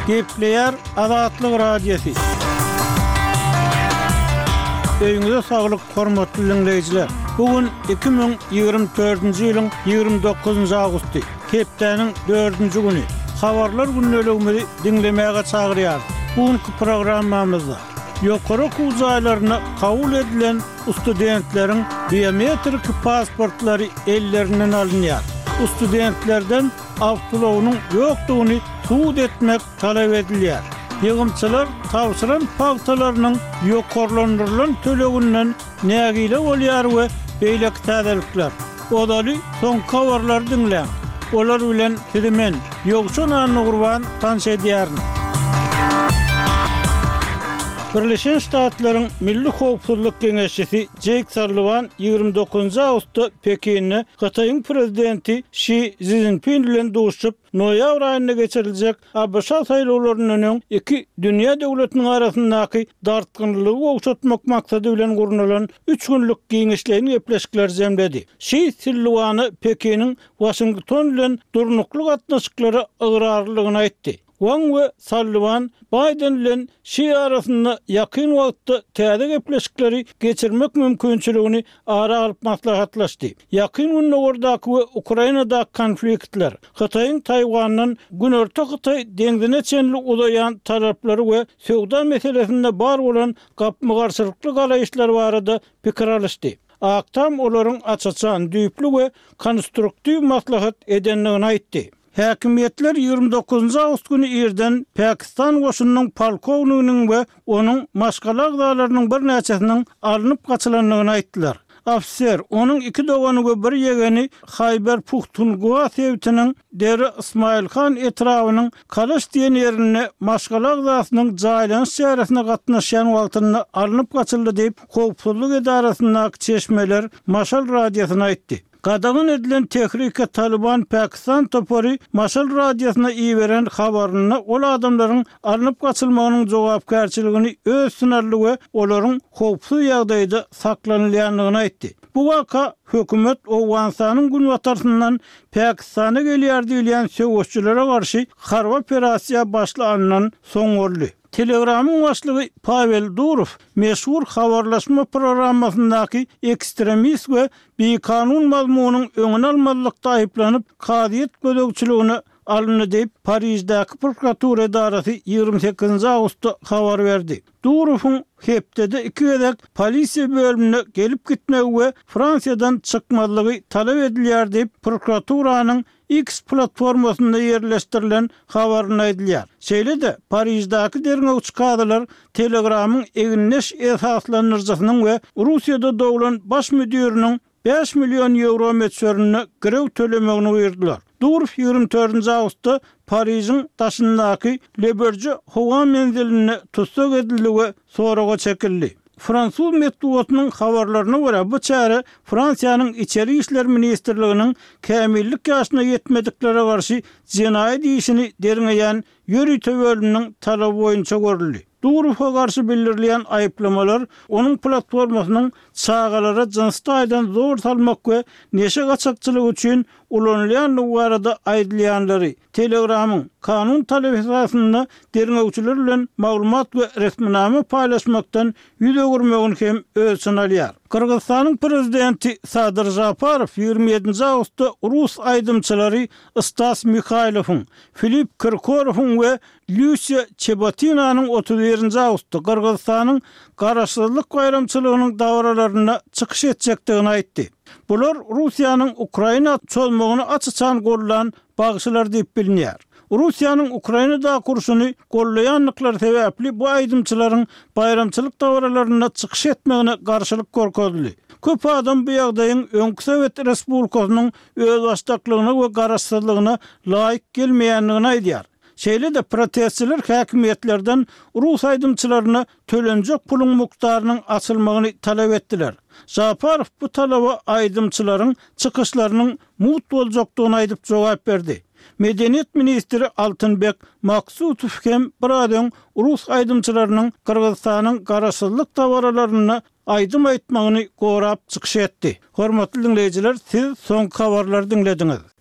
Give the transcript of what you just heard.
Gepleýär Azatlyk Radiosy. Öýüňize saglyk, hormatly diňleýjiler! Bu gün 2024-nji ýylyň 29-njy awgusty, hepdäniň dördünji güni. Habarlar gündeligimizi diňlemäge çagyrýarys. Bu günki programmamyzda ýokary okuw jaýlaryna kabul edilen studentleriň biometriki pasportlary ellerinden alynýar. Studentlerden awtoulagynyň ýokdugyny subut etmek talap edilýär. Ýygymçylar tabşyran pagtalarynyň ýokarlandyrylan töleginden nägile bolýar we beýleki täzelikler. Ozaly soňky habarlary diňläň. Olar bilen sizi men, Ýowşan Annagurban tanyş edýärin. Birleşen Ştatlaryň Milli howpsuzlyk geňeşçisi Jeýk Salliwan 29 awgustda Pekinde Hytaýyň prezidenti Şi Szinpin bilen duşuşyp, noýabr aýynda geçiriljek ABŞ saýlawlaryndan öň iki dünýä döwletiniň arasyndaky dartgynlylygy gowşatmak maksady bilen gurnalan üç günlük giňişleýin gepleşikleri jemledi. Şi Silliwana Pekiniň Waşington bilen durnukly gatnaşyklara ygrarlydygyny aýtdy. Waň we Salliwan Baýden bilen Şi arasynda ýakyn wagtda täze gepleşikleri geçirmek mümkinçiligini ara alyp maslahatlaşdy. Ýakyn Gündogardaky we Ukrainadaky konfliktler, Hytaýyň Taýwandan Günorta Hytaý deňzine çenli uzaýan talaplary we söwda meselesinde bar bolan gapma-garşylykly garaýyşlar barada pikir alyşdy. Ak Tam olaryň aç-açan, düýpli we konstruktiw maslahat edendigini aýtdy. Häkimiýetler 29 awgust güni irden Pakistan goşunynyň polkowniginiň we onuň maşgala agzalarynyň birnäçesiniň alnyp gaçylandygyny aýtdylar. Ofiser, onuň iki dogany we bir ýegeni Haýber-Puhtunhwa sebitiniň Dera Ysmaýyl Han etrabynyň Kalaş diýen ýerinde maşgala agzasynyň jaýlanyş çäresine gatnaşýan wagtynda alnyp gaçyldy diýip, howpsuzlyk edarasyndaky çeşmeler Maşal radiosyna aýtdy. Gadagan edilen Tehrike Talyban Pakistan topary Maşal radiosyna iberen habarynda ol adamlaryň alnyp gaçylmagynyň jogapkärçiligini öz üstüne aldy we olaryň howpsuz ýagdaýda saklanylýandygyny aýtdy. Bu waka hökümet Owganystanyň günbatarsyndan Pakistana gelýär diýilýän söweşijilere garşy harby operasiýa başlanyndan soň boldy. Telegramyň başlygy Pawel Durow meşhur habarlaşma programmasyndaky ekstremist we bikanun mazmunyň öňüni almazlykda aýyplanyp, kazyýet gözegçiligine alyndy diýip, Pariždäki prokuratura edarasy 28 awgustda habar berdi. Durowyň hepdede iki gezek polisiýa bölümine gelip-gitmegi we Fransiýadan çykmazlygy talap edilýär diýip, prokuraturanyň X platformasynda ýerleşdirilen habarynda aýdylýar. Şeýle-de, Pariždäki derňewçi kazylar Telegramyň egindeş esaslandyryjysynyň we Russiýada doglan baş müdiriniň bäş million ýewro möçberinde girew tölemegini buýurdylar. Durow 24 awgustda Parižiň daşyndaky Le Burje howa menzilinde tussag edildi we soraga çekildi. Fransuz metbugatynyň habarlaryna görä, bu çäre Fransiýanyň Içeri işler ministrliginiň kämillik ýaşyna ýetmediklere garşy jenaýat işini derňeýän ýörite bölüminiň talaby boýunça görüldi. Durowa garşy bildirilýän aýyplamalar onuň platformasynyň çagalara jynsy taýdan zor salmak we neşe gaçakçylygy üçin ulanylýandygy barada aýdylýanlary, Telegramyň, kanun talaby esasynda derňewçiler bilen maglumat we resminama paýlaşmakdan ýüz öwürmegini hem öz içine alýar. Gyrgyzystanyň prezidenti Sadyr Žaparow 27 awgustda rus aýdymçylary Stas Mihaýlowyň, Filipp Kirkorowyň we Lýusiýa Çebotinanyň 31 awgustda Gyrgyzystanyň Garaşsyzlyk baýramçylygynyň dabaralarynda çykyş etjekdigini aýtdy. Bular Russiýanyň Ukraina çozmagyny aç-açan goldan bagşylar diýip bilinýär. Russiýanyň Ukrainadaky urşuny goldaýandyklary sebäpli bu aýdymçylaryň baýramçylyk dabaralarynda çykyş etmegine garşylyk görkezildi. Köp adam bu ýagdaýyň öňki sowet respublikasynyň özbaşdaklygyna we garaşsyzlygyna laýyk gelmeýändigini aýdýar. Şeýle-de protestçiler häkimiýetlerden rus aýdymçylaryna tölenjek puluň mukdarynyň açylmagyny talap etdiler. Žaparow bu talaba aýdymçylaryň çykyşlarynyň mugt boljakdygyny aýdyp jogap berdi. Medeniýet ministri Altynbek Maksutow hem biraz öň rus aýdymçylarynyň Gyrgyzystanyň garaşsyzlyk dabaralarynda aýdym aýtmagyny gorap çykyş etdi. Hormatly diňleýjiler, siz soňky habarlary diňlediňiz.